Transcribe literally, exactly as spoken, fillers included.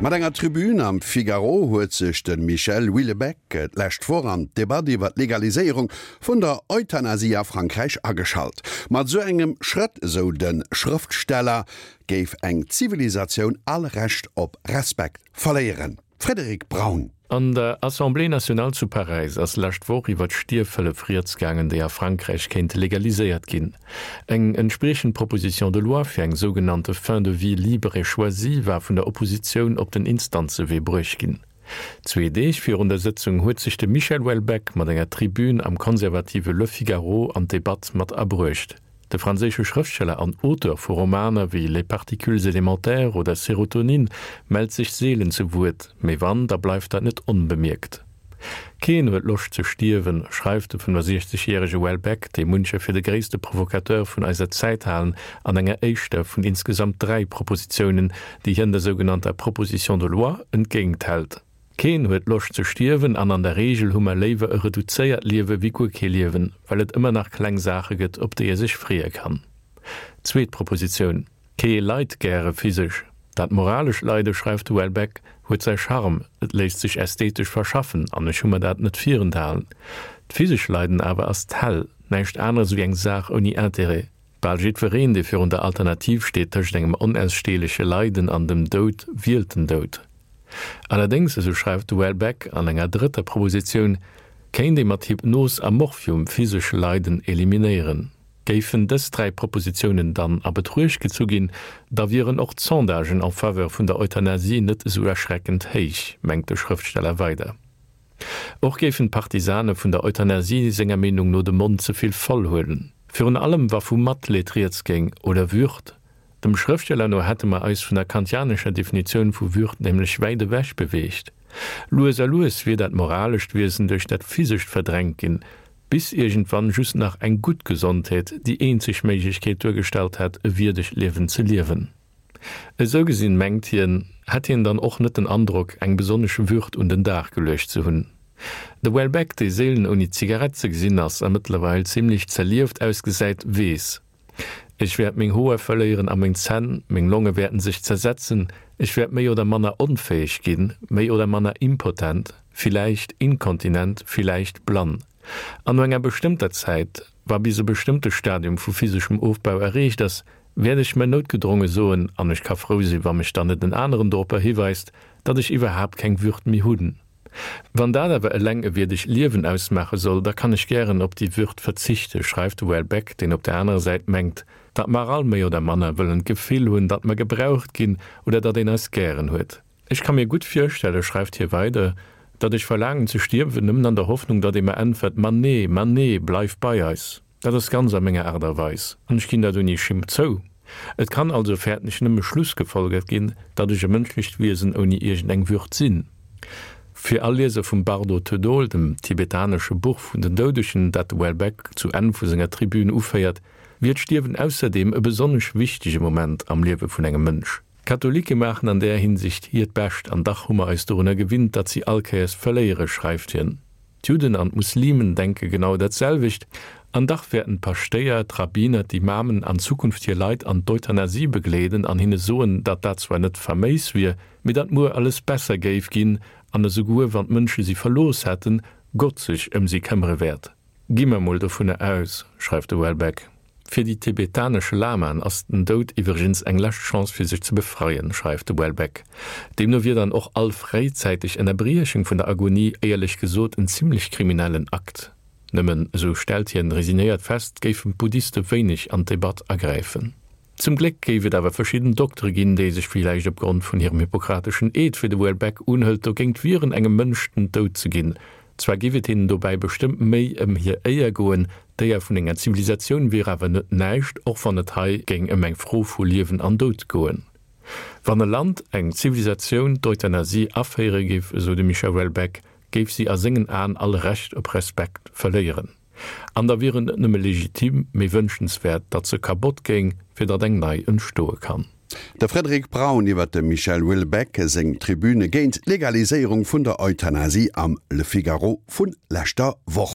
Mat enger Tribün am Figaro huet sech de Michel Houellebecq d'lescht Woch an d'Debatt iwwer d'Legaliséierung vun der Euthanasie a Frankräich ageschalt. Mat sou engem Schrëtt, sou de Schrëftsteller, géif eng Zivilisatioun all Recht op Respekt verléieren. Frédéric Braun. An der Assemblée nationale zu Paräis ass lescht Woch iwwer d'Stierfhëllef rieds gaangen, déi a Frankräich kéint legaliséiert ginn. Eng entspriechend Proposition de loi fir eng sougenannte fin de vie libre et choisie war vun der Oppositioun op den Instanzewee bruecht ginn. Zwee Deeg virun der Sëtzung huet sech de Michel Houellebecq mat enger Tribün am konservative Le Figaro an d'Debatt mat abruecht. De franséische Schrëftsteller an Auteur vu Romaner wéi Les Particules élémentaires oder Sérotonine mellt sech seelen zu Wuert, mee wann, da bleift dat net onbemierkt. Keen huet Loscht ze stierwen, schreift de fënnefasiechzegjärege Houellebecq, dee muncher fir de gréisste Provokateur vun eiser Zäit halen, an enger éischter vun insgesamt dräi Propositiounen, déi hien der sougenannter Proposition de loi entgéinthält. Keen huet Loscht ze stierwen an an der Reegel hu mer léiwer e reduzéiert Liewe wéi guer kee Liewen, well et ëmmer nach kleng Saache gëtt, op déi ee sech freeë kann. Zweet Propositioun, Kee leit gäre physesch. Dat moralescht Leide, schreift de Houellebecq, huet säi Charme, et léisst sech ästhetesch verschaffen an ech hu mer dat net virenthalen. D'physescht Leiden awer ass d'Häll, näischt aneres wéi eng Saach ouni Interêt. Bal jiddwereen, dee virun der Alternativ steet tëscht engem onaussteeleche Leiden an dem Doud, wielt den Doud. Allerdéngs, esou schreift de Houellebecq an enger drëtter Propositioun, kéint ee mat Hypnos a Morphium physesch Leiden eliminéieren. Géifen dës dräi Propositiounen dann a Betruecht gezu ginn, da wieren och d'Sondagen en faveur vun der Euthanasie net esou erschreckend héich, mengt de Schrëftsteller weider. Och géifen d'Partisane vun der Euthanasie senger Meenung no de Mond ze vill voll huelen, virun allem wa vu Matleed rieds géing oder Würd. Dem Schrëftsteller no hätte mer eis vun der kantianescher Definitioun vu Würd nämlech wäit ewech beweegt. Lues a lues wier dat moralescht Wiesen duerch dat physescht verdrängt ginn, bis iergendwann just nach eng gutt Gesondheet déi eenzeg Méiglechkeet duergestallt hätt, e wierdegt Liewen ze liewen. Esou gesinn, mengt hien, hätt hien dann och net den Androck, eng besonnesch Würd un den Dag geluecht ze hunn. De Houellebecq, dee seelen ouni Zigarett ze gesinn ass a mëttlerweil zimmlech zerlieft ausgesäit, weess, Ech wäert meng Hoer verléieren a meng Zänn, meng Longe wäerten sech zersetzen, ech wäert méi oder manner onfäeg ginn, méi oder manner impotent, villäicht inkontinent, villäicht blann. An no enger bestëmmter Zäit, wa bis e bestëmmte Stadium vu physeschem Ofbau erreecht ass, wäert ech mer noutgedronge soen, an ech ka frou sinn, wa mech dann net en aneren doropper hiweist, datt ech iwwerhaapt keng Würd méi hunn. Wann dat awer eleng e wierdegt Liewen ausmaache soll, da kann ech gären op déi Würd verzichte, schreift de Houellebecq, deen op der anerer Säit mengt, datt mer all méi oder manner wëllen d'Gefill hunn, datt mer gebraucht ginn oder datt een eis gären huet. Ech ka mir gutt virstelle, schreift hie weider, datt ech verlaangen ze stierwen, nëmmen an der Hoffnung, datt ee mer äntwert, Ma nee, ma nee, bleif bei eis. Dat ass ganz a menger Aart a Weis, an ech ginn dat ouni Schimmt zou. Et kann also, fäerten ech, nëmme schlussgefolgert ginn, datt ech e mënschlecht Wiesen ouni iergendeng Würd sinn. Fir all Lieser vum Bardo Thödol, dem tibetanesche Buch vun den Doudegen, dat de Houellebecq zu Enn vu senger Tribün uféiert, wier d'Stierwen ausserdeem e besonnesch wichtege Moment am Liewe vun engem Mënsch. D'Katholike maachen an där Hinsicht hiert Bescht, an dach hu mer eis dorunner gewinnt, datt si all Kéiers verléieren, schreift hien. D'Judden an d'Muslimen denke genau dat selwecht, an dach wäerten d'Paschtéier, d'Rabbiner, d'Imamen an Zukunft hir Leit an d'Euthanasie begleeden an hinne soen, datt dat zwar net faméis wier, mee datt muer alles besser géif ginn an esouguer wann d'Mënsche si verlooss hätten, Gott sech ëm si këmmere wäert. Gi mer mol dovunner aus, schreift de Houellebecq. Fir déi tibetanesche Lamaen ass den Doud iwwregens eng lescht Chance fir sech ze befreien, schreift de Houellebecq. Deemno wier dann och all fréizäiteg Ënnerbriechung vun der Agonie éierlech gesot en zimmlech kriminellen Akt. Nëmmen, esou stellt hien resignéiert fest, géifen d'Buddhiste wéineg an d'Debatt agräifen. Zum Gléck géif et awer verschidden Doktere ginn, déi sech villäicht opgrond vun hirem hippokrateschen Eed, wéi de Houellebecq unhëlt, dogéint wieren, engem Mënsch den Doud ze ginn. Zwar géif et hinnen dobäi bestëmmt méi ëm hir Éier goen, d'Éier vun enger Zivilisatioun wier awer net näischt, och wann et hei géing ëm eng Fro vu Liewen an Doud goen. Wann e Land, eng Zivilisatioun d'Euthanasie aféiere géif, esou de Michel Houellebecq, géif si a sengen Aen all Recht op Respekt verléieren. An da wier et net nëmme legitim, mee wënschenswäert, datt se kabott géing, fir datt eng nei entstoe kann. De Frédéric Braun iwwer dem Michel Houellebecq seng Tribüne géint d'Legaliséierung vun der Euthanasie am Le Figaro vu leschter Woch.